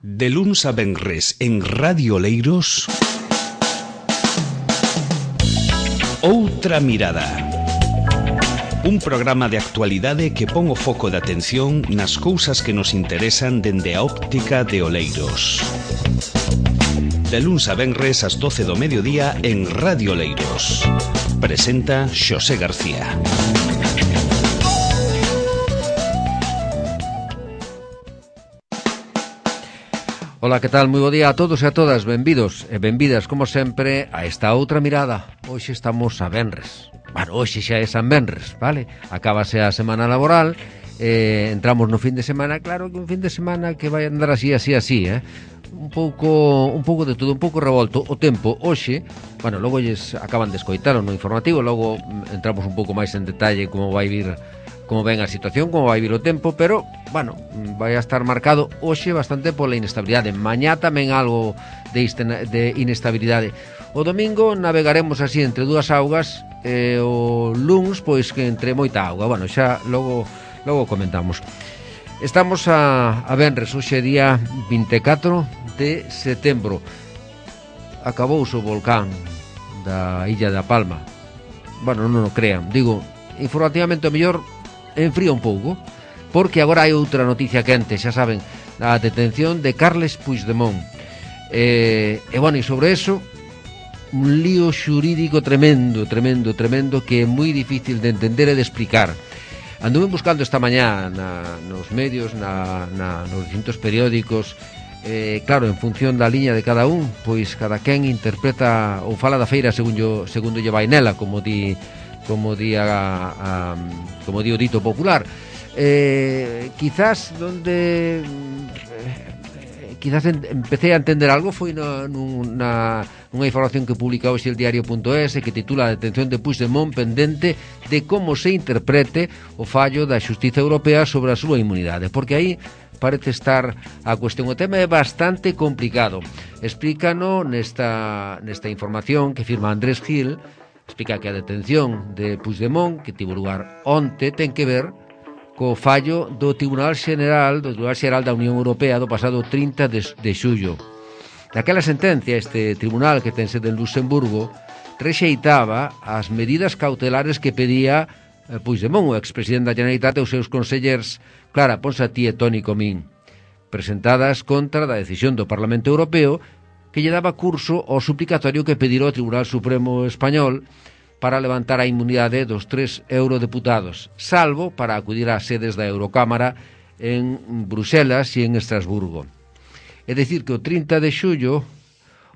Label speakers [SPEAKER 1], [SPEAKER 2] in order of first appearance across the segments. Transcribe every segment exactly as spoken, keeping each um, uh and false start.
[SPEAKER 1] De luns a venres en Radio Oleiros, Outra Mirada. Un programa de actualidade que pon o foco de atención nas cousas que nos interesan dende a óptica de Oleiros. De luns a venres ás doce do mediodía en Radio Oleiros. Presenta Xosé García.
[SPEAKER 2] Ola, que tal? Moi bo día a todos e a todas. Benvidos e benvidas, como sempre, a esta outra mirada. Hoxe estamos a venres. Bueno, hoxe xa é San Venres, vale? Acábase a semana laboral, eh, entramos no fin de semana. Claro que un fin de semana que vai andar así, así, así, eh? Un pouco, un pouco de todo, un pouco revolto. O tempo hoxe, bueno, logo lles acaban de escoitalo no informativo, logo entramos un pouco máis en detalle como vai vir, como ven a situación, como vai vir o tempo, pero, bueno, vai a estar marcado hoxe bastante pola inestabilidade. Mañá tamén algo de, de inestabilidade. O domingo navegaremos así entre dúas augas, e o luns, pois, que entre moita auga. Bueno, xa logo, logo comentamos. Estamos a, a venres, hoxe día vinte e catro de setembro. Acabouse o volcán da Illa da Palma. Bueno, non o crean, digo, informativamente o mellor enfría un pouco, porque agora hai outra noticia quente, xa saben, a detención de Carles Puigdemont. E, e bueno, e sobre eso, un lío xurídico tremendo, tremendo, tremendo, que é moi difícil de entender e de explicar. Anduve buscando esta mañá na, nos medios, na, na, nos distintos periódicos, eh, claro, en función da liña de cada un, pois cada quen interpreta ou fala da feira segundo, segundo lle vai nela, como di... como di, a, a, como di o dito popular. Eh, quizás donde eh, quizás en, empecé a entender algo foi na, nunha, unha información que publica hoxe el diario punto es, que titula a detención de Puigdemont pendente de como se interprete o fallo da Xustiza Europea sobre a súa inmunidade, porque aí parece estar a cuestión. O tema é bastante complicado. Explícano nesta, nesta información que firma Andrés Gil. Explica que a detención de Puigdemont, que tivo lugar onte, ten que ver co fallo do Tribunal Xeral do Tribunal Xeral da Unión Europea do pasado trinta de xullo. Daquela sentencia, este tribunal, que ten sede en Luxemburgo, rexeitaba as medidas cautelares que pedía Puigdemont, o expresidente da Generalitat, e os seus consellers Clara Ponsatí e Toni Comín, presentadas contra da decisión do Parlamento Europeo que lle daba curso ao suplicatorio que pedira o Tribunal Supremo Español para levantar a inmunidade dos tres eurodeputados, salvo para acudir ás sedes da Eurocámara en Bruxelas e en Estrasburgo. É dicir, que o trinta de xullo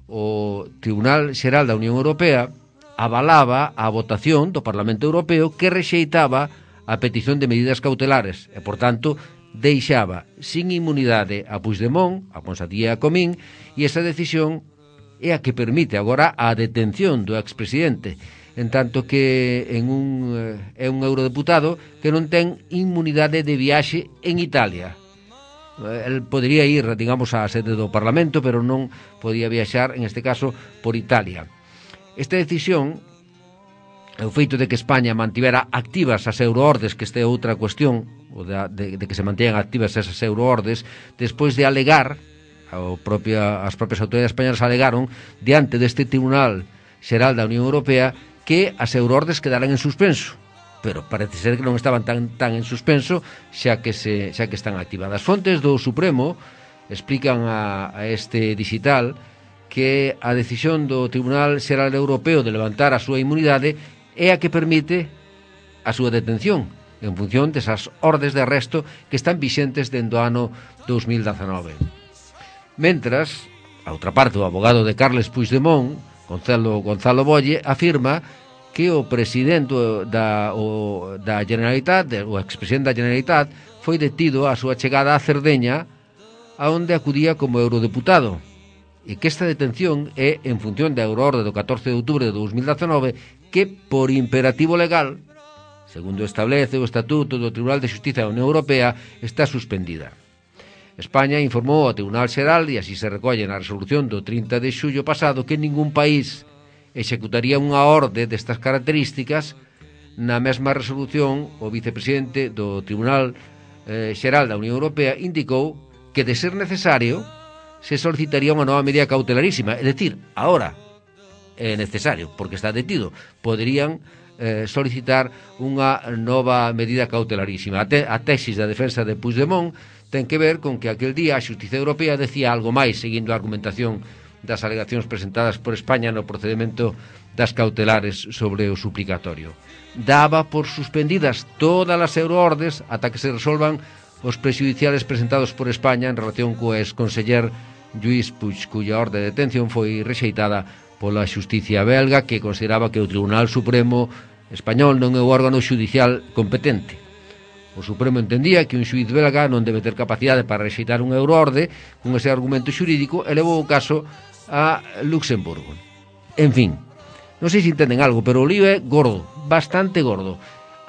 [SPEAKER 2] o Tribunal Xeral da Unión Europea avalaba a votación do Parlamento Europeo que rexeitaba a petición de medidas cautelares e, por tanto, deixaba sin inmunidade a Puigdemont, a Ponsatí e a Comín, e esa decisión é a que permite agora a detención do expresidente, en tanto que en un, é un eurodeputado que non ten inmunidade de viaxe en Italia. El podría ir, digamos, á sede do Parlamento, pero non podía viaxar, en este caso, por Italia. Esta decisión, o feito de que España mantivera activas as euroordes, que esta é outra cuestión, o de, de, de que se manteñan activas esas euroordes, despois de alegar, o propia, as propias autoridades españolas alegaron, diante deste Tribunal Xeral da Unión Europea, que as euroordes quedaran en suspenso. Pero parece ser que non estaban tan, tan en suspenso, xa que, se, xa que están activadas. Fontes do Supremo explican a, a este digital que a decisión do Tribunal Xeral Europeo de levantar a súa inmunidade é a que permite a súa detención en función desas ordes de arresto que están vixentes dende o ano dos mil dezanove. Mentras, a outra parte, o abogado de Carles Puigdemont, Gonzalo, Gonzalo Bolle, afirma que o presidente da, o, da Generalitat, o expresidente da Generalitat, foi detido a súa chegada a Cerdeña, a onde acudía como eurodeputado, e que esta detención é en función da euroorde do catorce de outubro de dos mil dezanove, que, por imperativo legal, segundo establece o Estatuto do Tribunal de Xustiza da Unión Europea, está suspendida. España informou ao Tribunal Xeral, e así se recolle na resolución do trinta de xullo pasado, que ningún país executaría unha orde destas características. Na mesma resolución, o vicepresidente do Tribunal eh, Xeral da Unión Europea indicou que, de ser necesario, se solicitaría unha nova medida cautelarísima. É dicir, ahora é necesario, porque está detido, poderían eh, solicitar unha nova medida cautelarísima. A, te, a tesis da defensa de Puigdemont ten que ver con que aquel día a Xustiza Europea decía algo máis, seguindo a argumentación das alegacións presentadas por España no procedimento das cautelares sobre o suplicatorio. Daba por suspendidas todas as euroordes ata que se resolvan os prexudiciales presentados por España en relación co ex-conseller Lluís Puig, cuya orde de detención foi rexeitada pola xusticia belga, que consideraba que o Tribunal Supremo español non é o órgano xudicial competente. O Supremo entendía que un xuiz belga non debe ter capacidade para rexeitar un euroorde con ese argumento xurídico e levou o caso a Luxemburgo. En fin, non sei se entenden algo, pero o lío é gordo, bastante gordo.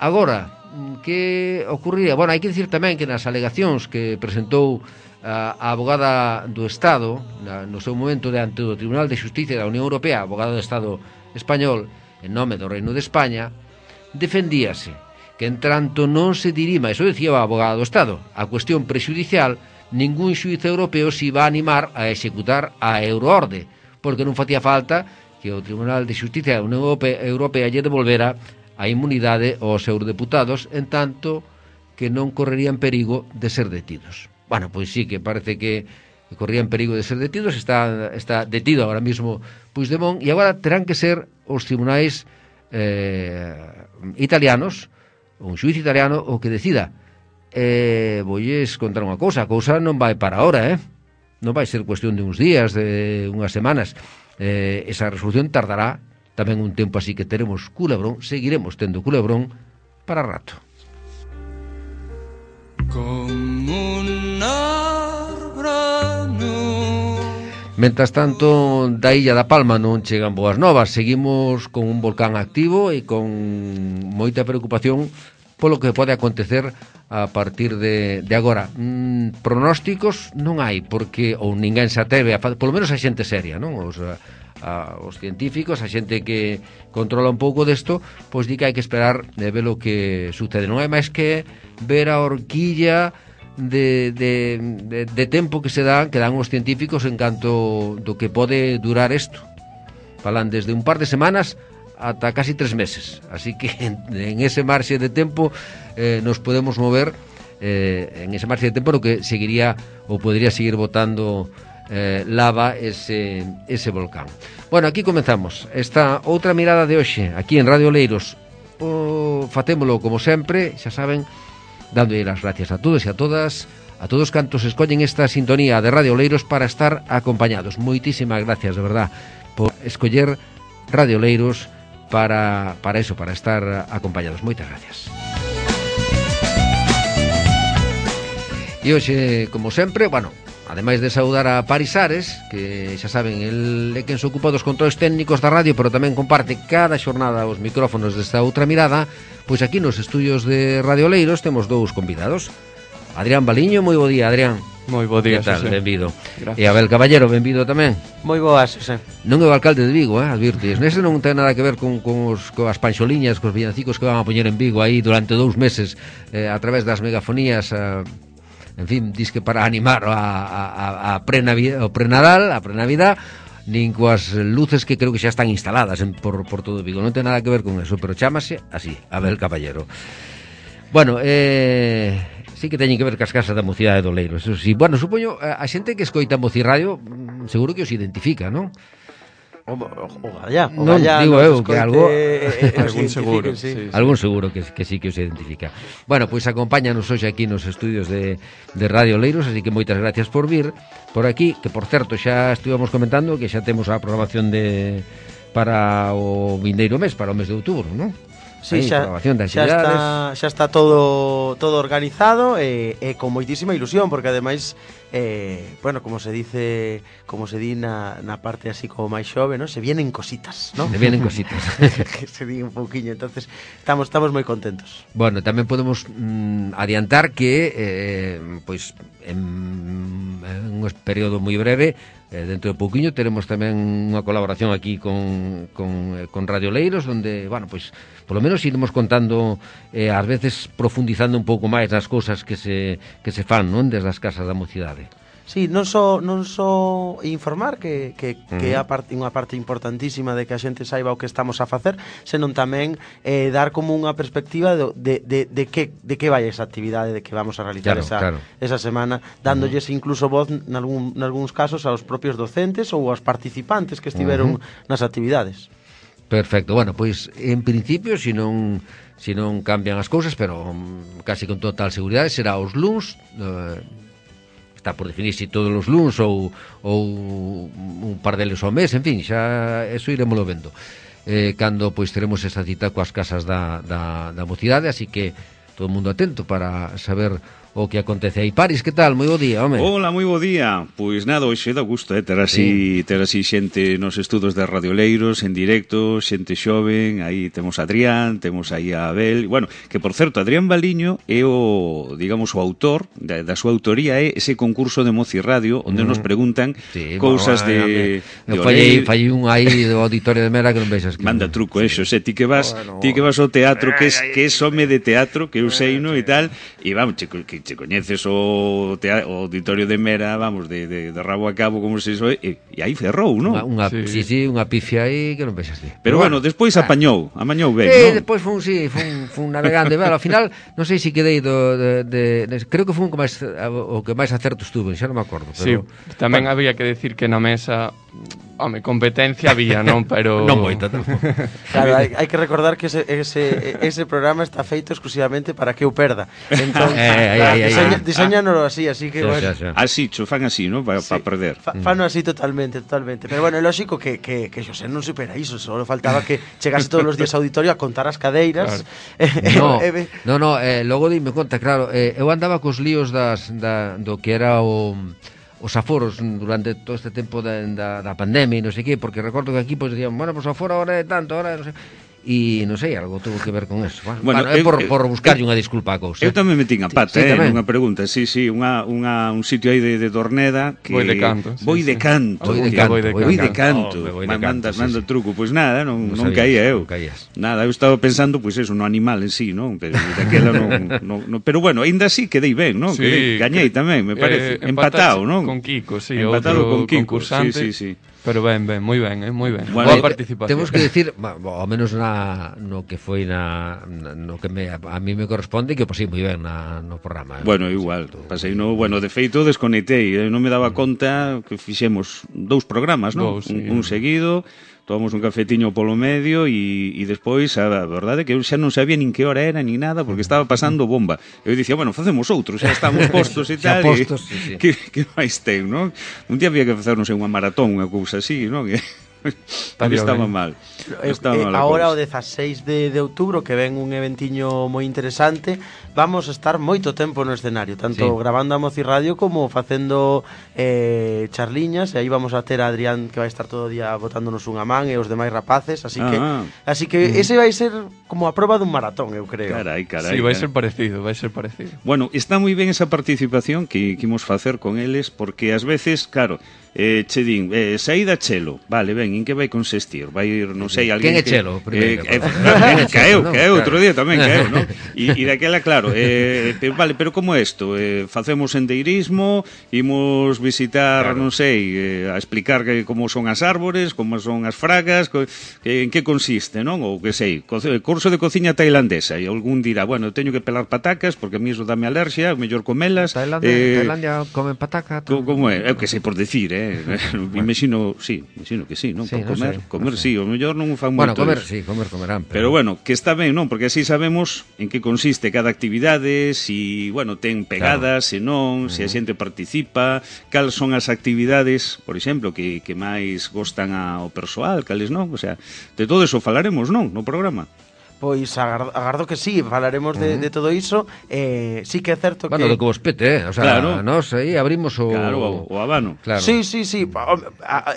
[SPEAKER 2] Agora, que ocurriría? Bueno, hai que dicir tamén que nas alegacións que presentou a, a abogada do Estado na, no seu momento diante do Tribunal de Xusticia da Unión Europea, abogado do Estado español en nome do Reino de España, defendíase que en tanto non se dirima, eso decía o abogado do Estado, a cuestión prexudicial, ningún xuiz europeo se iba a animar a executar a euroorde, porque non facía falta que o Tribunal de Xusticia da Unión Europea lle devolvera a inmunidade aos eurodeputados, en tanto que non correrían perigo de ser detidos. Bueno, pois sí que parece que corrían perigo de ser detidos, está, está detido agora mismo Puigdemont, e agora terán que ser os tribunais eh, italianos, un xuiz italiano, o que decida. Eh, voulles contar unha cousa, a cousa non vai para ahora, eh? Non vai ser cuestión de uns días, de unhas semanas. Eh, esa resolución tardará tamén un tempo, así que teremos culebrón, seguiremos tendo culebrón para rato. Mentras tanto, da Illa da Palma non chegan boas novas. Seguimos con un volcán activo e con moita preocupación polo que pode acontecer a partir de, de agora. Mm, pronósticos non hai, porque ou ninguén se atreve a fazer, polo menos a xente seria, non? Os, a, a, os científicos, a xente que controla un pouco desto, pois di que hai que esperar de ver o que sucede. Non hai máis que ver a horquilla de, de, de, de tempo que se dan, que dan os científicos en canto do que pode durar isto. Falan desde un par de semanas ata casi tres meses, así que en, en ese marxe de tempo eh, nos podemos mover eh, en ese marxe de tempo no que seguiría ou podría seguir botando eh, lava ese, ese volcán. Bueno, aquí comenzamos esta outra mirada de hoxe aquí en Radio Oleiros. O, facémolo como sempre, xa saben, dando as gracias a todos e a todas, a todos cantos escollen esta sintonía de Radio Oleiros para estar acompañados. Moitísimas gracias, de verdad, por escoller Radio Oleiros para, para eso, para estar acompañados. Moitas gracias. E hoxe, como sempre, bueno, ademais de saudar a Paris Ares, que xa saben, el é quen se ocupa dos controles técnicos da radio, pero tamén comparte cada xornada os micrófonos desta outra mirada, pois aquí nos estudios de Radio Oleiros temos dous convidados. Adrián Baliño, moi bo día, Adrián.
[SPEAKER 3] Moi bo día,
[SPEAKER 2] que tal?
[SPEAKER 3] Xosé.
[SPEAKER 2] Benvido.
[SPEAKER 3] Gracias.
[SPEAKER 2] E Abel Caballero, benvido tamén.
[SPEAKER 3] Moi boas, Xosé.
[SPEAKER 2] Non é o alcalde de Vigo, eh, advirtes. Nese non ten nada que ver con, con os, coas panxoliñas, cos villancicos que van a poñer en Vigo aí durante dous meses eh, a través das megafonías, eh, en fin, dis que para animar a, a, a pre-Navidad, o pre-Nadal, a pre-Navidad, nin coas luces que creo que xa están instaladas en, por, por todo Vigo. Non ten nada que ver con eso, pero chámase así, Abel Caballero. Bueno, eh, sí que teñen que ver cas casas da mocidade do Oleiros, eso sí. Bueno, supoño, a xente que escoita Mocirradio seguro que os identifica, non?
[SPEAKER 3] O, o, o galla, o
[SPEAKER 2] Non,
[SPEAKER 3] galla,
[SPEAKER 2] digo
[SPEAKER 3] nos
[SPEAKER 2] eu, que
[SPEAKER 3] escoite,
[SPEAKER 2] algo-
[SPEAKER 3] eh, eh,
[SPEAKER 4] Algún
[SPEAKER 3] os
[SPEAKER 4] seguro,
[SPEAKER 3] identifiquen, sí.
[SPEAKER 4] sí.
[SPEAKER 2] Algún seguro que, que sí que os identifica. Bueno, pois pues acompáñanos hoxe aquí nos estudios de, de Radio Oleiros, así que moitas gracias por vir por aquí, que por certo xa estuvamos comentando que xa temos a programación de para o vindeiro mes, para o mes de outubro, non?
[SPEAKER 3] Sí,
[SPEAKER 2] Aí,
[SPEAKER 3] xa,
[SPEAKER 2] programación de
[SPEAKER 3] xa
[SPEAKER 2] actividades.
[SPEAKER 3] está, xa está todo todo organizado e, e con moitísima ilusión, porque ademais eh, bueno, como se dice, como se di na, na parte así como máis xove, ¿no? Se vienen cositas, ¿no?
[SPEAKER 2] Le vienen cositas.
[SPEAKER 3] que se di un pouquiño, entonces estamos estamos moi contentos.
[SPEAKER 2] Bueno, tamén podemos mm, adiantar que eh, pois en, en un período moi breve, eh, dentro de pouquiño teremos tamén unha colaboración aquí con, con, eh, con Radio Oleiros, onde, bueno, pois polo menos iremos contando eh, ás veces profundizando un pouco máis nas cousas que se, que se fan, non, desde as casas da mocidade.
[SPEAKER 3] Sí, non só non só informar que, que, uh-huh. que é a parte, unha parte importantísima de que a xente saiba o que estamos a facer, senón tamén eh, dar como unha perspectiva de, de, de, de, que, de que vai esa actividade de que vamos a realizar
[SPEAKER 2] claro,
[SPEAKER 3] esa,
[SPEAKER 2] claro.
[SPEAKER 3] esa semana, dándolles uh-huh. incluso voz nalgún, nalgúns casos aos propios docentes ou aos participantes que estiveron uh-huh. nas actividades.
[SPEAKER 2] Perfecto, bueno, pois en principio, se non se non cambian as cousas, pero um, casi con total seguridade será os luns, eh, está por definir se todos os luns ou, ou un par deles ao mes, en fin, xa eso iremoslo vendo. Eh, cando pois teremos esa cita coas casas da, da, da mocidade, así que todo o mundo atento para saber o que acontece aí. Paris, que tal? Moi bo día, home.
[SPEAKER 4] Hola, moi bo día. Pois nada, hoxe dá gusto, eh, ter así, sí. ter así xente nos estudos de Radioleiros en directo, xente xoven, aí temos a Adrián, temos aí a Abel. Bueno, que por certo, Adrián Baliño é o, digamos, o autor, da, da súa autoría é ese concurso de Moci Radio, onde mm. nos preguntan sí, cousas bueno, de, de
[SPEAKER 2] fallei, fallei un aí do auditorio de Mera que non vexas que...
[SPEAKER 4] Manda truco, sí. Eso, xe, ti que vas, bueno, ti que vas ao teatro, que es, que es home de teatro, que eu sei, no, e tal, e vamos, che, que che coñeces o, tea, o auditorio de Mera, vamos, de, de, de rabo a cabo, como se iso, e, e aí ferrou, non?
[SPEAKER 2] Unha, unha, sí. sí, sí, unha pifia aí que non vexas ti.
[SPEAKER 4] Pero, Pero bueno, bueno, despois ah. apañou, amañou ben,
[SPEAKER 2] eh,
[SPEAKER 4] non?
[SPEAKER 2] Despois fun, sí, fun, fun navegando, e, bueno, ao final, non sei se quedei do, de, de, de, creo que fun o que máis, o que máis acertos tuve, xa non me acordo. Pero,
[SPEAKER 5] sí, tamén bueno. Había que decir que na mesa... Home, competencia había, non? Pero...
[SPEAKER 2] non moita tampouco.
[SPEAKER 3] Claro, hai, hai que recordar que ese, ese, ese programa está feito exclusivamente para que eu perda. Entón, eh, eh, eh, diseña, eh, diseñánolo así, así que...
[SPEAKER 4] Xa,
[SPEAKER 3] bueno.
[SPEAKER 4] xa, xa. Así, cho fan así, non? Para sí, pa perder.
[SPEAKER 3] Fa, fano así totalmente, totalmente. Pero bueno, é lógico que, que, que Xosé non supera iso, só faltaba que chegase todos os días ao auditorio a contar as cadeiras.
[SPEAKER 2] Claro. eh, no, no, no eh, logo dime conta, claro, eh, eu andaba cos líos das, da, do que era o... os aforos durante todo este tempo da, da, da pandemia e non sei que, porque recordo que aquí pues, decían, bueno, pues aforo ahora é tanto, ahora non sei... E non sei, algo tuvo que ver con eso. Bueno, bueno, bueno é por, eu, por buscarlle unha disculpa a cousa.
[SPEAKER 4] Eu tamén metín a pata, sí, eh, unha pregunta. Sí, sí, unha, unha, un sitio aí de, de Dorneda que...
[SPEAKER 5] Voi de canto.
[SPEAKER 4] Sí, Voi de canto.
[SPEAKER 2] Voi de canto.
[SPEAKER 4] Voi de canto. Manda o truco. Pois nada, non, non caía eu. Nada, eu estaba pensando, pois eso, no animal en sí, non? Pero daquela non, non, non... Pero bueno, aínda así quedei ben, non?
[SPEAKER 5] Sí,
[SPEAKER 4] quedei, gañei tamén, me parece.
[SPEAKER 5] Eh,
[SPEAKER 4] empatado, non?
[SPEAKER 5] Con Kiko, sí,
[SPEAKER 4] empatado
[SPEAKER 5] outro
[SPEAKER 4] con Kiko.
[SPEAKER 5] concursante.
[SPEAKER 4] Sí, sí, sí.
[SPEAKER 5] Pero ben, ben, moi ben, eh, moi ben.
[SPEAKER 2] Bueno,
[SPEAKER 5] boa participación.
[SPEAKER 2] Temos que decir, ao menos na no que foi na, na no que me, a mí me corresponde que pasei moi ben na, no programa. Eh.
[SPEAKER 4] Bueno, igual, pasei no, bueno, de feito desconectei, eh, non me daba conta que fixemos dous programas, non?
[SPEAKER 5] Dous, sí.
[SPEAKER 4] un, un seguido, tomamos un cafetiño polo medio e, e despois, a verdade que eu xa non sabía nin que hora era nin nada porque estaba pasando bomba. Eu dicía, bueno, facemos outro, xa estamos postos e tal.
[SPEAKER 2] Postos,
[SPEAKER 4] e,
[SPEAKER 2] sí, sí.
[SPEAKER 4] Que, que máis ten, non? Un día había que facer, non sei, unha maratón, unha cousa así, non? Que estaba ben. mal. Estaba
[SPEAKER 3] eh,
[SPEAKER 4] mal
[SPEAKER 3] Ahora o dezaseis de, de outubro que ven un eventiño moi interesante, vamos a estar moito tempo no escenario, tanto sí. grabando a Moci Radio como facendo eh, charliñas, e aí vamos a ter a Adrián que vai estar todo o día botándonos unha man e os demais rapaces, así que
[SPEAKER 4] ah,
[SPEAKER 3] así que ese vai ser como a proba dun maratón, eu creo.
[SPEAKER 4] Carai, carai.
[SPEAKER 5] Sí, vai
[SPEAKER 4] carai.
[SPEAKER 5] ser parecido, vai ser parecido.
[SPEAKER 4] Bueno, está moi ben esa participación que, que imos facer con eles, porque ás veces, claro, eh, che din, eh, saída Chelo, vale, ben, en que vai consistir? Vai ir, non sei, alguén
[SPEAKER 2] Quen é
[SPEAKER 4] que...
[SPEAKER 2] Chelo? Primeiro,
[SPEAKER 4] eh, eh, caeu, caeu, outro día tamén caeu, non? E, e daquela, claro, eh, pero, vale, pero como isto? Eh, facemos sendeirismo, imos visitar, claro. non sei, eh, a explicar que, como son as árbores, como son as fragas, co, que, en que consiste, non? Ou que sei, co, curso de cociña tailandesa, e algún dirá, bueno, teño que pelar patacas, porque a mí iso dame alerxia, mellor comelas.
[SPEAKER 2] Tailandia, eh, Tailandia comen pataca.
[SPEAKER 4] Co, como é? Eu que sei por decir, eh? Bueno. Imagino, sí, imagino que sí, non?
[SPEAKER 2] Sí,
[SPEAKER 4] por comer,
[SPEAKER 2] no sé,
[SPEAKER 4] comer,
[SPEAKER 2] no sé.
[SPEAKER 4] sí, o mellor non fan
[SPEAKER 2] bueno,
[SPEAKER 4] moito.
[SPEAKER 2] Bueno, comer,
[SPEAKER 4] eso.
[SPEAKER 2] sí, comer, comerán.
[SPEAKER 4] Pero... pero bueno, que está ben, non? Porque así sabemos en que consiste cada actividade, si, bueno, ten pegadas, claro. se non, se a xente participa, cal son as actividades, por exemplo, que, que máis gostan ao persoal, cales non, o sea, de todo eso falaremos, non, no programa.
[SPEAKER 3] Pois agardo, agardo que sí, falaremos de, uh -huh. de todo iso. eh, Sí que é certo
[SPEAKER 2] bueno,
[SPEAKER 3] que...
[SPEAKER 2] Bueno, do que vos pete, eh? O sea,
[SPEAKER 4] claro.
[SPEAKER 2] Nos aí abrimos o...
[SPEAKER 4] Claro, o, o abano.
[SPEAKER 3] Claro. Sí, sí, sí.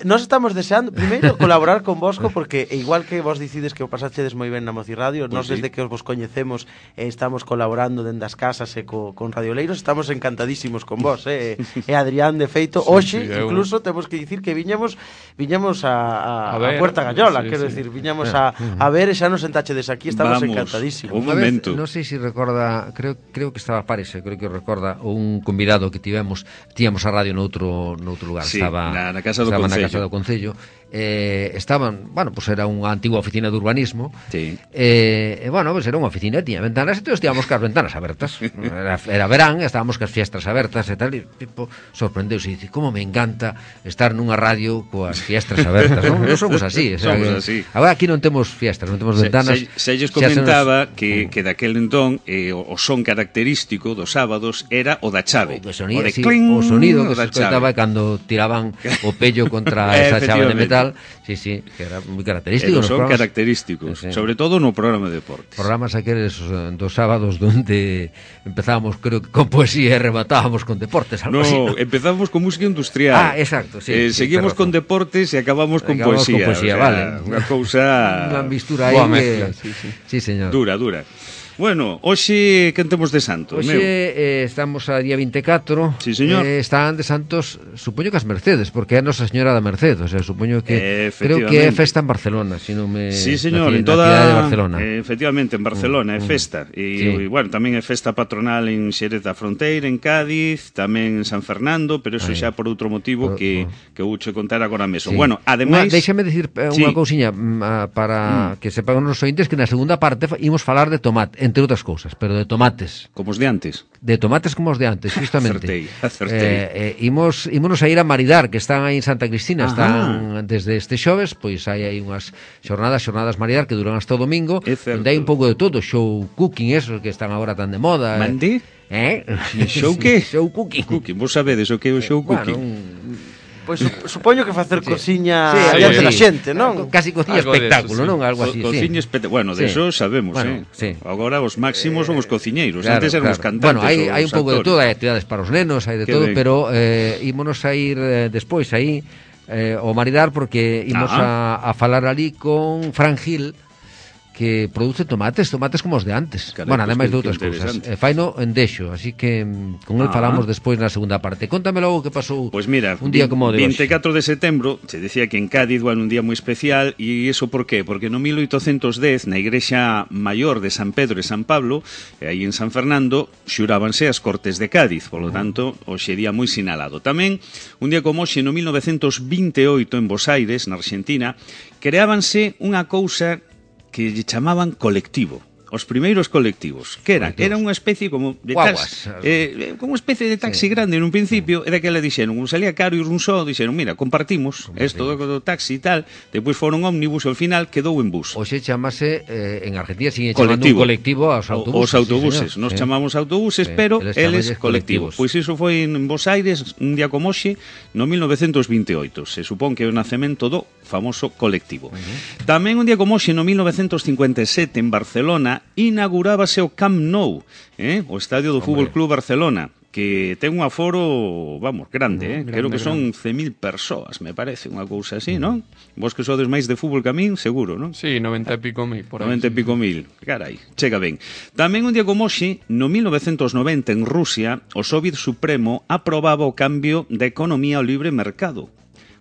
[SPEAKER 3] Nos estamos deseando, primeiro, colaborar con vosco, porque igual que vos dicides que o pasachedes moi ben na Moci Radio, pues nos sí. desde que os vos coñecemos eh, estamos colaborando dende as casas e co, con Radioleiros, estamos encantadísimos con vos, eh? E Adrián, de feito, sí, hoxe, sí, incluso, eu... temos que dicir que viñamos viñamos a, a, a, ver, a Puerta Gallola, sí, quero sí. decir, viñamos a, a ver e xa nos sentachedes aquí. estamos
[SPEAKER 4] Vamos,
[SPEAKER 3] encantadísimos.
[SPEAKER 4] un
[SPEAKER 2] Unha vez,
[SPEAKER 4] momento.
[SPEAKER 2] non sei se recorda, creo creo que estaba Pares, creo que recorda un convidado que tivemos, tíamos a radio noutro noutro lugar,
[SPEAKER 4] Sí,
[SPEAKER 2] estaba
[SPEAKER 4] na- na Casa do
[SPEAKER 2] estaba na
[SPEAKER 4] Concello.
[SPEAKER 2] Casa do Concello. Eh, estaban, bueno, pues era unha antigua oficina de urbanismo.
[SPEAKER 4] Sí.
[SPEAKER 2] Eh, e, bueno, pues era unha oficina, tiña ventanas, e todos estábamos cas ventanas abertas. Era, era verán, estábamos cas fiestras abertas e tal, e tipo sorprendeuse e dice, como me encanta estar nunha radio coas fiestras abertas, non? Non somos así, o sea,
[SPEAKER 4] Somos
[SPEAKER 2] que,
[SPEAKER 4] así.
[SPEAKER 2] agora aquí non temos fiestras, non temos ventanas.
[SPEAKER 4] Se, se, se lles
[SPEAKER 2] xa se nos-
[SPEAKER 4] comentaba que, que daquel entón eh, o, o son característico dos sábados era o da chave.
[SPEAKER 2] O, sonido,
[SPEAKER 4] de
[SPEAKER 2] sí,
[SPEAKER 4] cling,
[SPEAKER 2] o sonido que
[SPEAKER 4] da
[SPEAKER 2] se escoitaba
[SPEAKER 4] chave.
[SPEAKER 2] cando tiraban o pello contra esa chave de
[SPEAKER 4] Efectivamente.
[SPEAKER 2] metal. Sí, sí, que era moi
[SPEAKER 4] E
[SPEAKER 2] característico.
[SPEAKER 4] non
[SPEAKER 2] nos
[SPEAKER 4] son
[SPEAKER 2] programas-
[SPEAKER 4] característicos,
[SPEAKER 2] Sí, sí.
[SPEAKER 4] sobre todo no programa de deportes.
[SPEAKER 2] Programas aqueles eh, dos sábados donde empezábamos, creo que con poesía e rematábamos con deportes, algo
[SPEAKER 4] No,
[SPEAKER 2] así. ¿no?
[SPEAKER 4] empezamos con música industrial.
[SPEAKER 2] Ah, exacto, sí,
[SPEAKER 4] Eh,
[SPEAKER 2] sí,
[SPEAKER 4] seguimos
[SPEAKER 2] ten
[SPEAKER 4] con
[SPEAKER 2] razón.
[SPEAKER 4] deportes e acabamos con
[SPEAKER 2] Acabamos con
[SPEAKER 4] poesía.
[SPEAKER 2] poesía,
[SPEAKER 4] o sea,
[SPEAKER 2] vale.
[SPEAKER 4] Unha cousa
[SPEAKER 2] Unha mistura aí
[SPEAKER 5] Boa
[SPEAKER 2] que...
[SPEAKER 5] mezcla, sí, sí.
[SPEAKER 2] Sí, señor.
[SPEAKER 4] dura, dura. Bueno, hoxe quen temos de santo,
[SPEAKER 2] Hoxe
[SPEAKER 4] meu?
[SPEAKER 2] eh, estamos a día veinticuatro.
[SPEAKER 4] Sí, señor.
[SPEAKER 2] Eh, están de santos, supoño que as Mercedes, porque é a Nosa Señora da Merced, o sea, supoño que creo que é
[SPEAKER 4] Efectivamente.
[SPEAKER 2] festa en Barcelona, si non me
[SPEAKER 4] Sí, señor,
[SPEAKER 2] na,
[SPEAKER 4] en
[SPEAKER 2] na
[SPEAKER 4] toda
[SPEAKER 2] cidade de Barcelona.
[SPEAKER 4] eh, efectivamente en Barcelona é
[SPEAKER 2] Mm,
[SPEAKER 4] festa e,
[SPEAKER 2] sí.
[SPEAKER 4] e bueno, tamén é festa patronal en Xerez da Fronteira, en Cádiz, tamén en San Fernando, pero eso
[SPEAKER 2] Aí.
[SPEAKER 4] xa por outro motivo
[SPEAKER 2] Por-
[SPEAKER 4] que
[SPEAKER 2] por-
[SPEAKER 4] que vou che contar agora mesmo.
[SPEAKER 2] Sí.
[SPEAKER 4] Bueno, ademais,
[SPEAKER 2] Unha- déixame dicir eh,
[SPEAKER 4] Sí.
[SPEAKER 2] unha cousiña mm, ah, para que sepan os ointes que na segunda parte fa- imos falar de tomate, entre outras cousas, pero de tomates.
[SPEAKER 4] como os de antes.
[SPEAKER 2] De tomates como os de antes, justamente.
[SPEAKER 4] Acertei, acertei.
[SPEAKER 2] Eh, eh, imos, ímonos a ir a maridar, que están aí en Santa Cristina,
[SPEAKER 4] Ajá.
[SPEAKER 2] están desde este xoves, pois hai aí unhas xornadas, xornadas maridar que duran hasta o domingo,
[SPEAKER 4] É certo.
[SPEAKER 2] onde hai un pouco de todo, show cooking, esos que están agora tan de moda. eh.
[SPEAKER 4] Mande?
[SPEAKER 2] Eh?
[SPEAKER 4] Show que?
[SPEAKER 2] Show cooking.
[SPEAKER 4] Cooking, vos sabedes o que é o show
[SPEAKER 2] Bueno,
[SPEAKER 4] cooking?
[SPEAKER 2] un-
[SPEAKER 3] Pois su, supoño que facer
[SPEAKER 2] Sí.
[SPEAKER 3] cociña
[SPEAKER 2] Sí,
[SPEAKER 3] diante
[SPEAKER 5] sí.
[SPEAKER 3] da xente, non?
[SPEAKER 2] Casi cociña
[SPEAKER 5] Algo de
[SPEAKER 2] espectáculo,
[SPEAKER 5] eso, sí.
[SPEAKER 2] non? Algo
[SPEAKER 4] Co-
[SPEAKER 2] así,
[SPEAKER 4] cociña
[SPEAKER 2] sí.
[SPEAKER 4] espect- Bueno, de
[SPEAKER 2] Sí.
[SPEAKER 4] eso sabemos,
[SPEAKER 2] Bueno,
[SPEAKER 4] eh.
[SPEAKER 2] sí.
[SPEAKER 4] Agora os máximos son os cociñeiros,
[SPEAKER 2] Claro,
[SPEAKER 4] antes eran os
[SPEAKER 2] claro.
[SPEAKER 4] cantantes.
[SPEAKER 2] Bueno, hai,
[SPEAKER 4] os
[SPEAKER 2] hai un pouco de
[SPEAKER 4] actores.
[SPEAKER 2] todo, hai actividades para os nenos, hai de
[SPEAKER 4] Que
[SPEAKER 2] todo,
[SPEAKER 4] ben.
[SPEAKER 2] pero eh, ímonos a ir eh, despois aí eh, ao maridar porque imos
[SPEAKER 4] Ah.
[SPEAKER 2] a, a falar ali con Fran Gil, que produce tomates, tomates como os de antes.
[SPEAKER 4] Carai,
[SPEAKER 2] bueno,
[SPEAKER 4] pois
[SPEAKER 2] ademais
[SPEAKER 4] que-
[SPEAKER 2] de outras
[SPEAKER 4] que
[SPEAKER 2] cousas.
[SPEAKER 4] interesante.
[SPEAKER 2] Eh, faino en Deixo, así que mm, con el
[SPEAKER 4] Ah.
[SPEAKER 2] falamos despois na segunda parte. Contame logo que pasou
[SPEAKER 4] Pois mira,
[SPEAKER 2] un día como o de hoxe.
[SPEAKER 4] veinticuatro de setembro, se decía que en Cádiz, bueno, un día moi especial, e iso por qué? Porque no mil oitocentos dez, na igrexa maior de San Pedro e San Pablo, e aí en San Fernando, xurábanse as Cortes de Cádiz, polo tanto, hoxe día moi sinalado. Tamén, un día como hoxe, no mil novecentos vinte e oito, en Bos Aires, na Argentina, creábanse unha cousa que lle chamaban colectivo. Os primeiros colectivos, que eran?
[SPEAKER 2] Colectivos.
[SPEAKER 4] Era unha especie como de
[SPEAKER 2] Guaguas.
[SPEAKER 4] taxi, eh, como unha especie de taxi grande nun principio, e daquela dixeron, un salía caro e un só, dixeron, mira, compartimos, isto do, do taxi e tal, depois foron ómnibus, e ao final quedou en bus.
[SPEAKER 2] Hoxe chamase, eh, en Argentina sigue chamando
[SPEAKER 4] Colectivo.
[SPEAKER 2] un colectivo aos autobuses.
[SPEAKER 4] Os autobuses,
[SPEAKER 2] sí,
[SPEAKER 4] nos
[SPEAKER 2] señor.
[SPEAKER 4] chamamos autobuses,
[SPEAKER 2] Sí,
[SPEAKER 4] pero
[SPEAKER 2] eles
[SPEAKER 4] eles
[SPEAKER 2] chamanlles
[SPEAKER 4] colectivos.
[SPEAKER 2] colectivos.
[SPEAKER 4] Pois iso foi en Bos Aires, un día como hoxe, no mil novecentos vinte e oito. Se supón que é o nacemento do famoso colectivo. Uh -huh. Tamén un día como hoxe, no mil novecentos cincuenta e sete, en Barcelona, inaugurábase o Camp Nou, eh? o estadio do Fútbol Club Barcelona, que ten un aforo, vamos, grande, eh?
[SPEAKER 2] grande,
[SPEAKER 4] creo que son cen mil persoas, me parece, unha cousa así, non? Vos que sodes máis de fútbol que a min, seguro, non?
[SPEAKER 5] Sí, noventa e pico mil por aí.
[SPEAKER 4] noventa e pico mil, carai, chega ben. Tamén un día como hoxe, no mil novecentos noventa en Rusia, o Soviet Supremo aprobaba o cambio da economía ao libre mercado.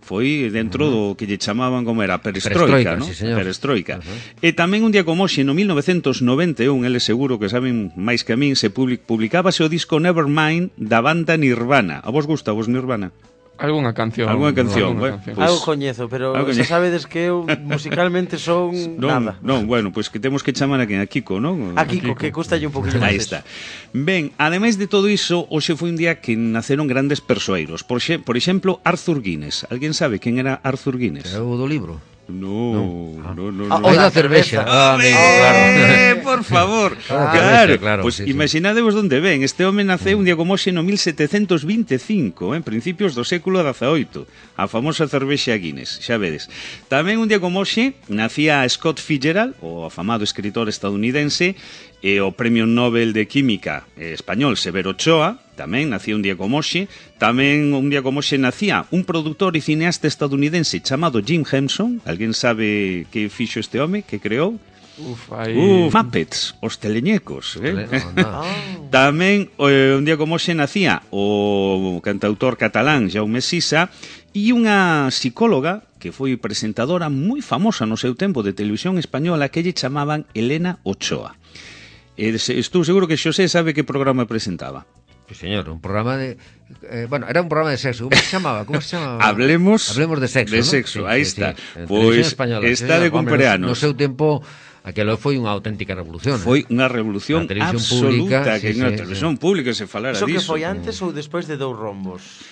[SPEAKER 4] Foi dentro do que lle chamaban como era perestroika,
[SPEAKER 2] Perestroika,
[SPEAKER 4] ¿no?
[SPEAKER 2] sí, señor.
[SPEAKER 4] Perestroika.
[SPEAKER 2] Uh -huh.
[SPEAKER 4] E tamén un día como hoxe, no mil novecentos noventa e un, eles seguro que saben máis que a min, se public, publicábase o disco Nevermind da banda Nirvana. A vos gusta vos Nirvana?
[SPEAKER 5] Algúnha canción.
[SPEAKER 4] Algúha canción,
[SPEAKER 5] algunha
[SPEAKER 4] bueno,
[SPEAKER 5] canción.
[SPEAKER 4] Pues-
[SPEAKER 3] Algo coñezo, pero
[SPEAKER 4] algo
[SPEAKER 3] xa
[SPEAKER 4] coñezo.
[SPEAKER 3] sabedes que eu musicalmente son
[SPEAKER 4] Non,
[SPEAKER 3] nada.
[SPEAKER 4] non, bueno, pois pues que temos que chamar a quen? A Kiko, non?
[SPEAKER 3] A Kiko, que custalle un poquinho máis.
[SPEAKER 4] Aí está. Ben, ademais de todo iso, hoxe foi un día que naceron grandes persoeiros. Por, xe, por exemplo, Arthur Guinness. Alguén sabe quen era Arthur Guinness?
[SPEAKER 2] É o do libro.
[SPEAKER 4] No, no, no,
[SPEAKER 3] Ah,
[SPEAKER 4] no.
[SPEAKER 2] Oi
[SPEAKER 3] da
[SPEAKER 2] da cervexa.
[SPEAKER 3] cerveza.
[SPEAKER 2] Ah, amigo, claro.
[SPEAKER 4] Eh, por favor.
[SPEAKER 2] Ah,
[SPEAKER 4] claro,
[SPEAKER 2] claro,
[SPEAKER 4] pues
[SPEAKER 2] sí, sí.
[SPEAKER 4] imaginadevos onde ven. Este home naceu un día como hoxe no mil setecentos vinte e cinco, en principios do século dezaoito, a famosa cervexa Guinness, xa vedes. Tamén un día como hoxe nacía Scott Fitzgerald, o afamado escritor estadounidense, e o Premio Nobel de Química eh, español Severo Ochoa, tamén nacía un día como hoxe. Tamén un día como hoxe nacía un produtor e cineasta estadounidense chamado Jim Henson. Alguén sabe que fixo este home, que creou?
[SPEAKER 5] Uf, aí...
[SPEAKER 4] Uh, Muppets, os teleñecos, eh?
[SPEAKER 2] No, no.
[SPEAKER 4] Tamén eh, un día como hoxe nacía o cantautor catalán Jaume Sisa e unha psicóloga que foi presentadora moi famosa no seu tempo de televisión española, que lle chamaban Elena Ochoa. E estou seguro que Xosé sabe que programa presentaba.
[SPEAKER 2] Sí, señor, un programa de... Eh, bueno, era un programa de sexo. ¿Cómo se chamaba? ¿Cómo se chamaba?
[SPEAKER 4] Hablemos,
[SPEAKER 2] Hablemos de sexo,
[SPEAKER 4] de
[SPEAKER 2] ¿no?
[SPEAKER 4] sexo,
[SPEAKER 2] Sí,
[SPEAKER 4] aí
[SPEAKER 2] sí,
[SPEAKER 4] está.
[SPEAKER 2] Sí.
[SPEAKER 4] Pois
[SPEAKER 2] sí,
[SPEAKER 4] está de cumpleanos.
[SPEAKER 2] No seu tempo... Aquilo foi unha auténtica revolución.
[SPEAKER 4] Foi
[SPEAKER 2] eh?
[SPEAKER 4] unha revolución absoluta
[SPEAKER 2] pública,
[SPEAKER 4] que
[SPEAKER 2] sí,
[SPEAKER 4] na
[SPEAKER 2] sí,
[SPEAKER 4] televisión
[SPEAKER 2] sí.
[SPEAKER 4] pública se falara
[SPEAKER 3] Eso
[SPEAKER 4] diso.
[SPEAKER 3] que foi antes ou despois de Dous Rombos?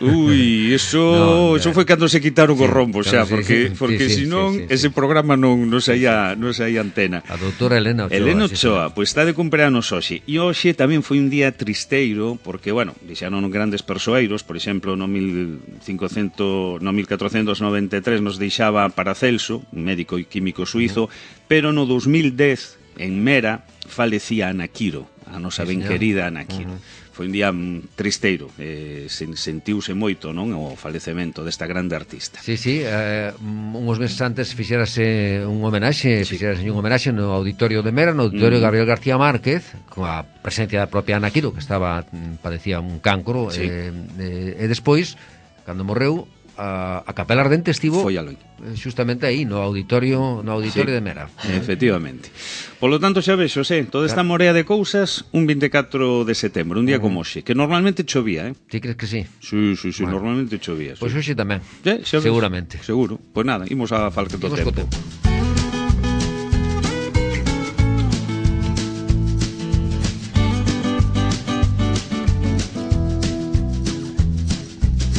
[SPEAKER 4] Ui, eso,
[SPEAKER 2] no,
[SPEAKER 4] eso foi cando se quitaron
[SPEAKER 2] sí,
[SPEAKER 4] os rombos, xa,
[SPEAKER 2] sí,
[SPEAKER 4] porque
[SPEAKER 2] sí,
[SPEAKER 4] porque
[SPEAKER 2] sí,
[SPEAKER 4] senón
[SPEAKER 2] sí, sí,
[SPEAKER 4] ese
[SPEAKER 2] sí.
[SPEAKER 4] programa non non saía non saía antena.
[SPEAKER 2] A doutora Elena Ochoa.
[SPEAKER 4] Elena
[SPEAKER 2] sí,
[SPEAKER 4] Ochoa,
[SPEAKER 2] sí.
[SPEAKER 4] pois está de cumpleanos hoxe. E hoxe tamén foi un día tristeiro, porque, bueno, dixaron grandes persoeiros, por exemplo, no mil cincocentos, no mil catrocentos noventa e tres nos deixaba Paracelso, un médico e químico suizo, uh-huh. pero no dos mil dez, en Mera, falecía Ana Quiro, a nosa
[SPEAKER 2] sí,
[SPEAKER 4] ben
[SPEAKER 2] señor.
[SPEAKER 4] querida Ana Quiro.
[SPEAKER 2] Uh-huh.
[SPEAKER 4] Foi un día tristeiro, eh, sentiuse moito, non, o falecemento desta grande artista.
[SPEAKER 2] Sí, sí, eh, uns meses antes fixérase un homenaxe, sí. fixérase un homenaxe no auditorio de Mera, no auditorio mm. Gabriel García Márquez, con a presencia da propia Ana Quiro, que estaba padecía un cancro, sí. eh, eh, e despois, cando morreu, a, a Capela Ardente estivo
[SPEAKER 4] foi aloi.
[SPEAKER 2] Justamente aí, no auditorio no auditorio sí, de Mera.
[SPEAKER 4] Efectivamente. Polo tanto, xa vexo, Xosé, toda esta morea de cousas, un vinte e catro de setembro, un día uh -huh. como hoxe, que normalmente chovía, eh?
[SPEAKER 2] Ti crees que sí?
[SPEAKER 4] Sí, sí, sí, bueno. normalmente chovía.
[SPEAKER 2] Pois pues
[SPEAKER 4] sí.
[SPEAKER 2] hoxe tamén,
[SPEAKER 4] ¿Eh?
[SPEAKER 2] seguramente.
[SPEAKER 4] Seguro. Pois pues nada, imos a falque do tempo. tempo.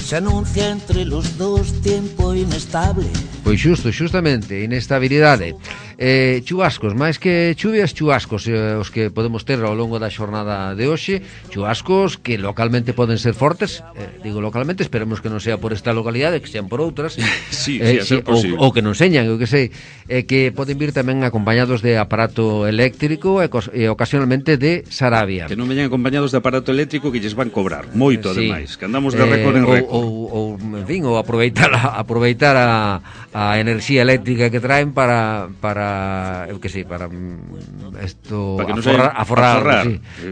[SPEAKER 6] Se anuncia entre los dos tiempo inestable.
[SPEAKER 2] Pois xusto, xustamente, inestabilidade. Eh, chubascos, máis que chuvias, chubascos eh, os que podemos ter ao longo da xornada de hoxe, chubascos que localmente poden ser fortes, eh, digo localmente, esperemos que non sea por esta localidade, que sean por outras,
[SPEAKER 4] sí,
[SPEAKER 2] eh,
[SPEAKER 4] sí,
[SPEAKER 2] sí, ou, ou que non señan, eu que sei, eh, que poden vir tamén acompañados de aparato eléctrico e, e ocasionalmente de Sarabia.
[SPEAKER 4] Que non veñan acompañados de aparato eléctrico que lles van cobrar, moito
[SPEAKER 2] sí.
[SPEAKER 4] ademais, que andamos de récord en
[SPEAKER 2] eh,
[SPEAKER 4] récord.
[SPEAKER 2] Ou, ou, en fin, ou aproveitar a, aproveitar a, a enerxía eléctrica que traen para, para eu que sei, para esto
[SPEAKER 4] para que
[SPEAKER 2] aforrar, aforrar,
[SPEAKER 4] aforrar.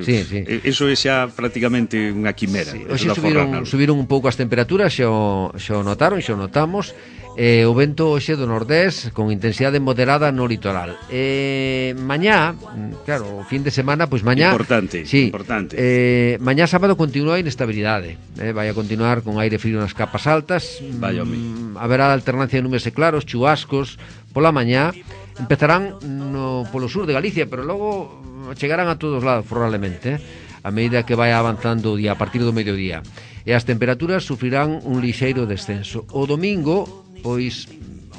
[SPEAKER 2] Sí, sí, sí.
[SPEAKER 4] Eso é xa prácticamente unha quimera.
[SPEAKER 2] Sí. Hoxe subiron, subiron un pouco as temperaturas, xa o, xa o notaron, xa o notamos. Eh, o vento hoxe do nordés con intensidade moderada no litoral. Eh, mañá, claro, o fin de semana, pois mañá
[SPEAKER 4] importante,
[SPEAKER 2] sí,
[SPEAKER 4] importante.
[SPEAKER 2] Eh, mañá sábado continúa a inestabilidade. Eh, vai a continuar con aire frío nas capas altas.
[SPEAKER 4] Vaya
[SPEAKER 2] mm, haberá alternancia de nubes e claros, chubascos pola mañá. Empezarán no polo sur de Galicia, pero logo chegarán a todos lados probablemente, eh, a medida que vai avanzando o día a partir do mediodía. E as temperaturas sufrirán un lixeiro descenso. O domingo, pois,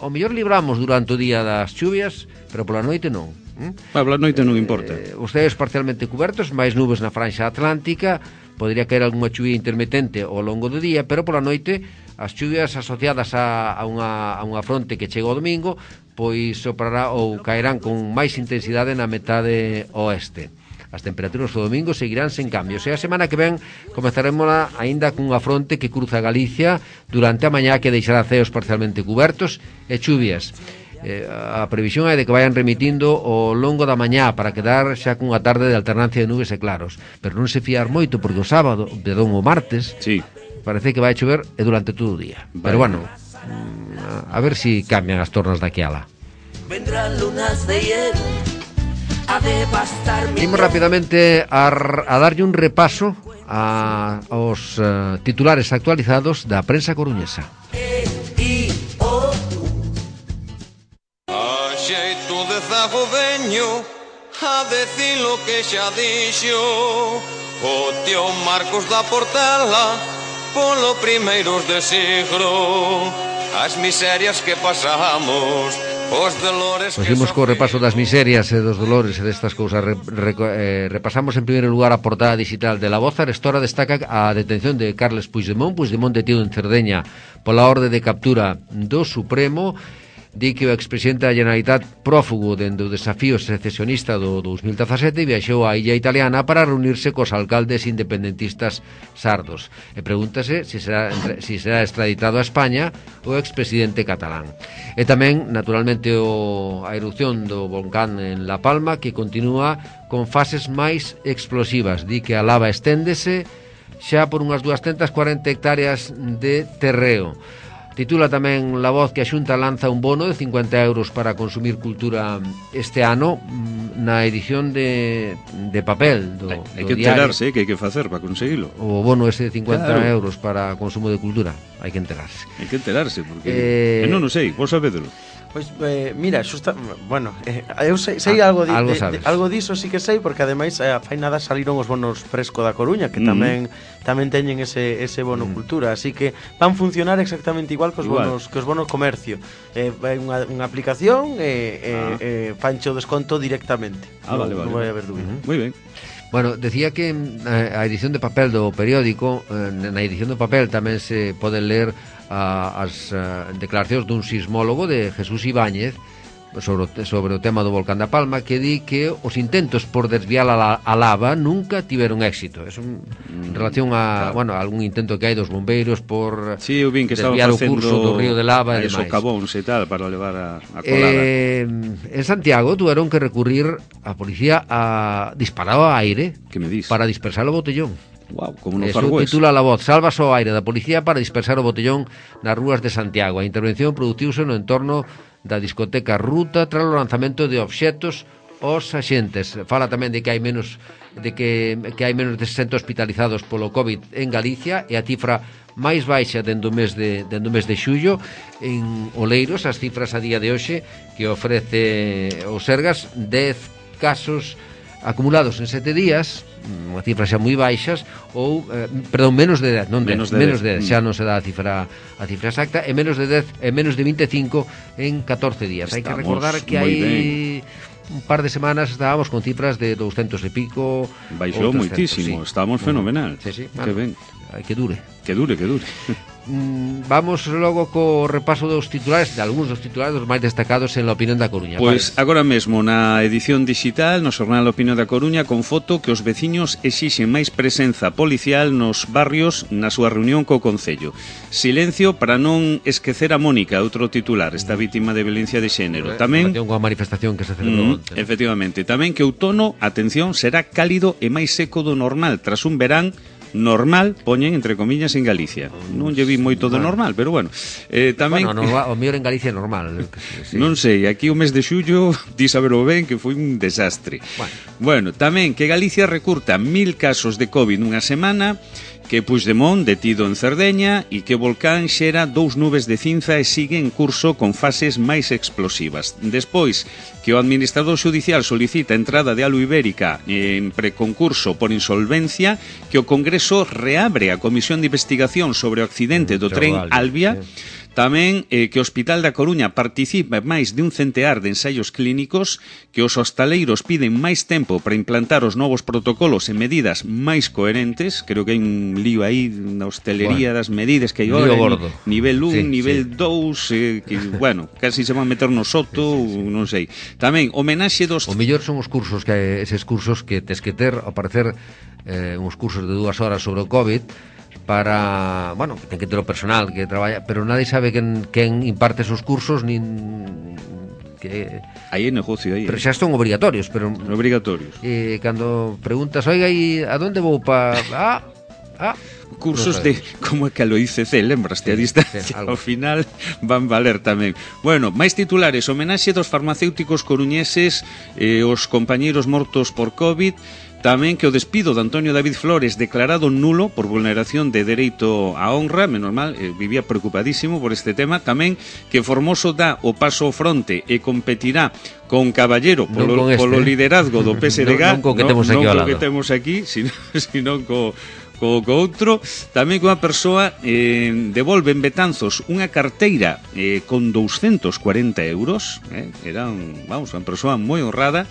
[SPEAKER 2] ao mellor libramos durante o día das chuvias, pero pola noite non.
[SPEAKER 4] ¿Mm? Pola noite non importa.
[SPEAKER 2] Eh, os ceos parcialmente cubertos, máis nubes na franxa atlántica, podría caer algunha chuvia intermitente ao longo do día, pero pola noite as chuvias asociadas a, a, unha, a unha fronte que chega ao domingo, pois soprará ou caerán con máis intensidade na metade oeste. As temperaturas do domingo seguirán sen cambios. E a semana que ven comezaremos aínda cunha fronte que cruza Galicia durante a mañá, que deixará ceos parcialmente cubertos e chuvias. Eh, a previsión é de que vayan remitindo ao longo da mañá para quedar xa cunha tarde de alternancia de nubes e claros. Pero non se fiar moito, porque o sábado, perdón, o martes,
[SPEAKER 4] sí,
[SPEAKER 2] parece que vai chover e durante todo o día. Vale. Pero bueno, a ver si cambian as tornas daqui ala.
[SPEAKER 6] Vendrán lunas de hielo a devastar mi...
[SPEAKER 2] Imos rapidamente a, a darlle un repaso a, aos uh, titulares actualizados da prensa coruñesa.
[SPEAKER 7] A xeito de zago veño a decir lo que xa dixo o tío Marcos da Portela polo primeiros de siglo. As miserias que pasamos, os dolores que
[SPEAKER 2] Seguimos co repaso das miserias e dos dolores e destas cousas. Re, re, eh, repasamos en primeiro lugar a portada digital de La Voz. Arestora destaca a detención de Carles Puigdemont. Puigdemont detido en Cerdeña pola orde de captura do Supremo. Di que o expresidente da Generalitat, prófugo dende o desafío secesionista do dous mil dezasete, viaxou á illa italiana para reunirse cos alcaldes independentistas sardos. E pregúntase se será, se será extraditado a España o expresidente catalán. E tamén, naturalmente, o, a erupción do volcán en La Palma, que continúa con fases máis explosivas. Di que a lava esténdese xa por unhas dúas cuarenta hectáreas de terreo. Titula tamén La Voz que a Xunta lanza un bono de cincuenta euros para consumir cultura este ano na edición de, de papel do,
[SPEAKER 4] Hai
[SPEAKER 2] do
[SPEAKER 4] que
[SPEAKER 2] diario.
[SPEAKER 4] enterarse, que hai que facer para conseguilo.
[SPEAKER 2] O bono ese de cincuenta
[SPEAKER 4] Claro.
[SPEAKER 2] euros para consumo de cultura. Hai que enterarse.
[SPEAKER 4] Hai que enterarse, porque...
[SPEAKER 2] Eh,
[SPEAKER 4] Eh... non o sei, vos sabedelo.
[SPEAKER 3] Pois, eh, mira, xusta, bueno, eh, eu sei, sei ah, algo, di,
[SPEAKER 2] algo
[SPEAKER 3] de,
[SPEAKER 2] sabes.
[SPEAKER 3] de, algo diso sí que sei, porque ademais eh, fai nada saliron os bonos fresco da Coruña, que
[SPEAKER 4] Mm.
[SPEAKER 3] tamén tamén teñen ese ese bono
[SPEAKER 2] Mm.
[SPEAKER 3] cultura, así que van funcionar exactamente igual que os
[SPEAKER 4] Igual.
[SPEAKER 3] bonos que os bonos comercio. Eh, vai unha, unha aplicación e eh,
[SPEAKER 4] Ah.
[SPEAKER 3] eh, fancho o desconto directamente.
[SPEAKER 4] Ah,
[SPEAKER 3] non,
[SPEAKER 4] vale, vale.
[SPEAKER 3] non vai haber dúbida.
[SPEAKER 4] Moi ben.
[SPEAKER 2] Bueno, decía que eh, a edición de papel do periódico, eh, na edición do papel tamén se poden ler a, as uh, declaracións dun sismólogo de Jesús Ibáñez sobre o, sobre o tema do volcán da Palma, que di que os intentos por desviar a, la, a lava nunca tiveron éxito. É un, en relación a,
[SPEAKER 4] claro.
[SPEAKER 2] bueno, a algún intento que hai dos bombeiros por
[SPEAKER 4] Sí, eu vin que estaban
[SPEAKER 2] desviar o
[SPEAKER 4] facendo
[SPEAKER 2] curso do río de lava e
[SPEAKER 4] aí
[SPEAKER 2] demais.
[SPEAKER 4] socavóns e tal para levar a, a colada.
[SPEAKER 2] Eh, en Santiago tuvieron que recurrir a policía a disparar ao aire
[SPEAKER 4] Que me dis?
[SPEAKER 2] para dispersar o botellón.
[SPEAKER 4] Wow, como no
[SPEAKER 2] Eso
[SPEAKER 4] Far West.
[SPEAKER 2] titula La Voz, salvas ao aire da policía para dispersar o botellón nas rúas de Santiago. A intervención produciuse no entorno da discoteca Ruta tras o lanzamento de obxetos aos axentes. Fala tamén de que hai menos de que, que hai menos de sesenta hospitalizados polo COVID en Galicia e a cifra máis baixa dende o mes de dende o mes de xullo en Oleiros. As cifras a día de hoxe que ofrece o Sergas, dez casos acumulados en sete días, unha cifra xa moi baixas, ou eh, perdón, menos de dez, non dez,
[SPEAKER 4] Menos
[SPEAKER 2] menos
[SPEAKER 4] de
[SPEAKER 2] de
[SPEAKER 4] dez,
[SPEAKER 2] dez, xa non se dá a cifra a cifra exacta, e menos de dez, e menos de veinticinco en catorce días. Hai que
[SPEAKER 4] Estamos
[SPEAKER 2] recordar que
[SPEAKER 4] moi
[SPEAKER 2] hai
[SPEAKER 4] ben.
[SPEAKER 2] un par de semanas estábamos con cifras de doscientos e pico.
[SPEAKER 4] Baixou
[SPEAKER 2] outros
[SPEAKER 4] moitísimo,
[SPEAKER 2] centos, sí.
[SPEAKER 4] estábamos fenomenal.
[SPEAKER 2] Sí, sí,
[SPEAKER 4] Que ben.
[SPEAKER 2] Hai que dure.
[SPEAKER 4] Que dure, que dure.
[SPEAKER 2] Mm, Vamos logo co repaso dos titulares, de algúns dos titulares dos máis destacados en La Opinión da Coruña.
[SPEAKER 4] Pois agora mesmo na edición digital no xornal A Opinión da Coruña con foto que os veciños exixen máis presenza policial nos barrios na súa reunión co Concello. Silencio para non esquecer a Mónica, outro titular, esta vítima de violencia de xénero. Tamén
[SPEAKER 2] con a manifestación que se celebrou
[SPEAKER 4] mm,
[SPEAKER 2] onte.
[SPEAKER 4] efectivamente, tamén que outono, atención, será cálido e máis seco do normal tras un verán normal, poñen entre comillas en Galicia. Non lle vi moito de normal, pero bueno. Eh, tamén
[SPEAKER 2] Bueno, normal, o mellor en Galicia é normal. Sí.
[SPEAKER 4] Non sei, aquí o mes de xullo di saber o ben que foi un desastre.
[SPEAKER 2] Bueno.
[SPEAKER 4] Bueno, tamén que Galicia recurta mil casos de COVID nunha semana, que Puigdemont detido en Cerdeña e que o volcán xera dous nubes de cinza e sigue en curso con fases máis explosivas. Despois, que o administrador xudicial solicita a entrada de Alu Ibérica en preconcurso por insolvencia, que o Congreso reabre a Comisión de Investigación sobre o accidente do tren Albia, tamén eh, que o Hospital da Coruña participa en máis de un centear de ensaios clínicos, que os hostaleiros piden máis tempo para implantar os novos protocolos e medidas máis coherentes. Creo que hai un lío aí na hostelería
[SPEAKER 2] Bueno,
[SPEAKER 4] das medidas que hai
[SPEAKER 2] lío
[SPEAKER 4] agora,
[SPEAKER 2] gordo.
[SPEAKER 4] nivel un,
[SPEAKER 2] Sí,
[SPEAKER 4] nivel dous, eh, que, bueno, casi se van meter no soto, sí, sí, sí. Non sei. Tamén, homenaxe dos...
[SPEAKER 2] O mellor son os cursos que eses cursos que tes que ter, ao parecer, eh, uns cursos de dúas horas sobre o COVID, para, bueno, ten que ter o personal que traballa, pero nadie sabe quen, quen imparte esos cursos, nin que
[SPEAKER 4] Aí é negocio, aí.
[SPEAKER 2] pero xa son obrigatorios, pero
[SPEAKER 4] Obrigatorios.
[SPEAKER 2] eh, cando preguntas, oiga, e a donde vou pa... Ah, ah,
[SPEAKER 4] Cursos
[SPEAKER 2] no
[SPEAKER 4] de, como é que a lo I C C, lembraste, a distancia,
[SPEAKER 2] sí, algo.
[SPEAKER 4] ao final van valer tamén. Bueno, máis titulares, homenaxe dos farmacéuticos coruñeses, eh, os compañeiros mortos por COVID, tamén que o despido de Antonio David Flores declarado nulo por vulneración de dereito á honra, menos mal, eh, vivía preocupadísimo por este tema, tamén que Formoso dá o paso ao fronte e competirá con Caballero polo,
[SPEAKER 2] con este,
[SPEAKER 4] polo
[SPEAKER 2] eh.
[SPEAKER 4] liderazgo do P S D G,
[SPEAKER 2] non, non co que temos aquí
[SPEAKER 4] non
[SPEAKER 2] ao
[SPEAKER 4] co
[SPEAKER 2] lado.
[SPEAKER 4] que temos aquí, sino, sino co co, co outro, tamén que unha persoa eh, devolve en Betanzos unha carteira eh, con doscientos cuarenta euros, eh, era un, vamos, unha persoa moi honrada.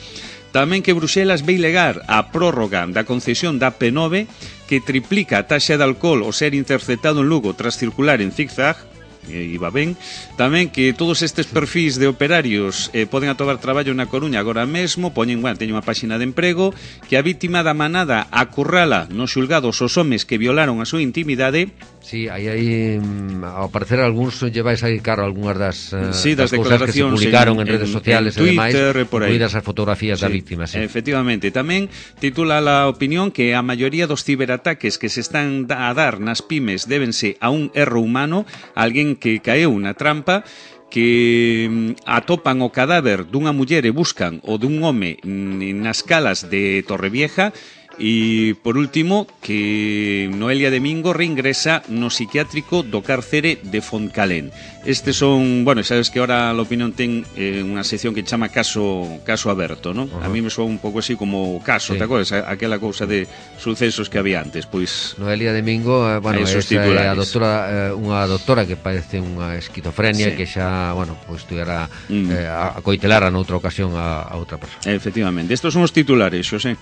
[SPEAKER 4] Tamén que Bruxelas vai legar a prórroga da concesión da P nove, que triplica a taxa de alcohol ao ser interceptado en Lugo tras circular en zigzag, e iba ben. Tamén que todos estes perfis de operarios eh, poden atobar traballo na Coruña agora mesmo, poñen, bueno, teñen unha páxina de emprego, que a vítima da manada acurrala nos xulgados os homes que violaron a súa intimidade,
[SPEAKER 2] Sí, aí aí ao parecer algúns lleváis aí caro algunhas das, uh,
[SPEAKER 4] sí, das,
[SPEAKER 2] das cousas que se publicaron en, en redes sociales
[SPEAKER 4] en
[SPEAKER 2] e demais,
[SPEAKER 4] incluídas
[SPEAKER 2] as fotografías
[SPEAKER 4] sí,
[SPEAKER 2] da víctima, sí.
[SPEAKER 4] Efectivamente, tamén titula a opinión que a maioría dos ciberataques que se están a dar nas pymes débense a un erro humano, alguén que caeu na trampa, que atopan o cadáver dunha muller e buscan o dun home nas calas de Torrevieja. E, por último, que Noelia Domingo reingresa no psiquiátrico do cárcere de Fontcalén. Estes son, bueno, sabes que ahora a opinión ten eh, unha sección que chama caso caso aberto, ¿no? Uh-huh. A mí me soa un pouco así como caso, sí. Te acordas? Aquela cousa de sucesos que había antes, pois...
[SPEAKER 2] Noelia Domingo, eh, bueno, esa é a doctora, eh, unha doctora que padece unha esquizofrenia, sí. Que xa, bueno, pois tuvera mm. eh, a coitelara noutra ocasión a, a outra persona.
[SPEAKER 4] Efectivamente, estos son os titulares, Xosé.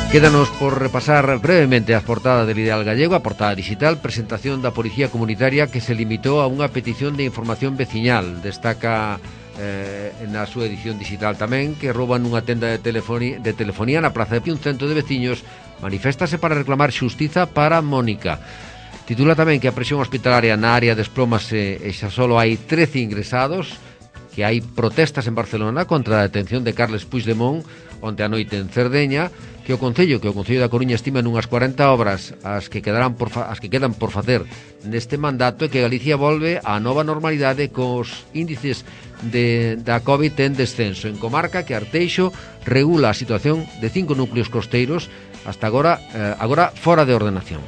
[SPEAKER 2] Quédanos por repasar brevemente as portadas del Ideal Gallego, a portada digital, presentación da Policía Comunitaria que se limitou a unha petición de información veciñal. Destaca eh, na súa edición digital tamén que rouban unha tenda de telefonía, de telefonía na Praza de Pío. Un cento de veciños maniféstase para reclamar xustiza para Mónica. Titula tamén que a presión hospitalaria na área desplómase e xa solo hai trece ingresados, que hai protestas en Barcelona contra a detención de Carles Puigdemont onte a noite en Cerdeña, que o Concello, que o Concello da Coruña estima nunhas cuarenta obras as que quedarán por fa, as que quedan por facer neste mandato, e que Galicia volve á nova normalidade cos índices de, da COVID en descenso. En comarca que Arteixo regula a situación de cinco núcleos costeiros hasta agora, eh, agora fora de ordenación.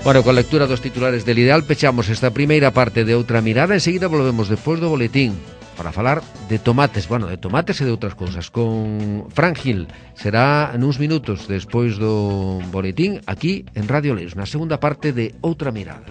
[SPEAKER 2] Bueno, con lectura dos titulares del Ideal pechamos esta primeira parte de Outra Mirada. Enseguida volvemos despois do boletín para falar de tomates, bueno, de tomates e de outras cousas con Fran Gil. Será nuns minutos despois do boletín aquí en Radio Leus, na segunda parte de Outra Mirada.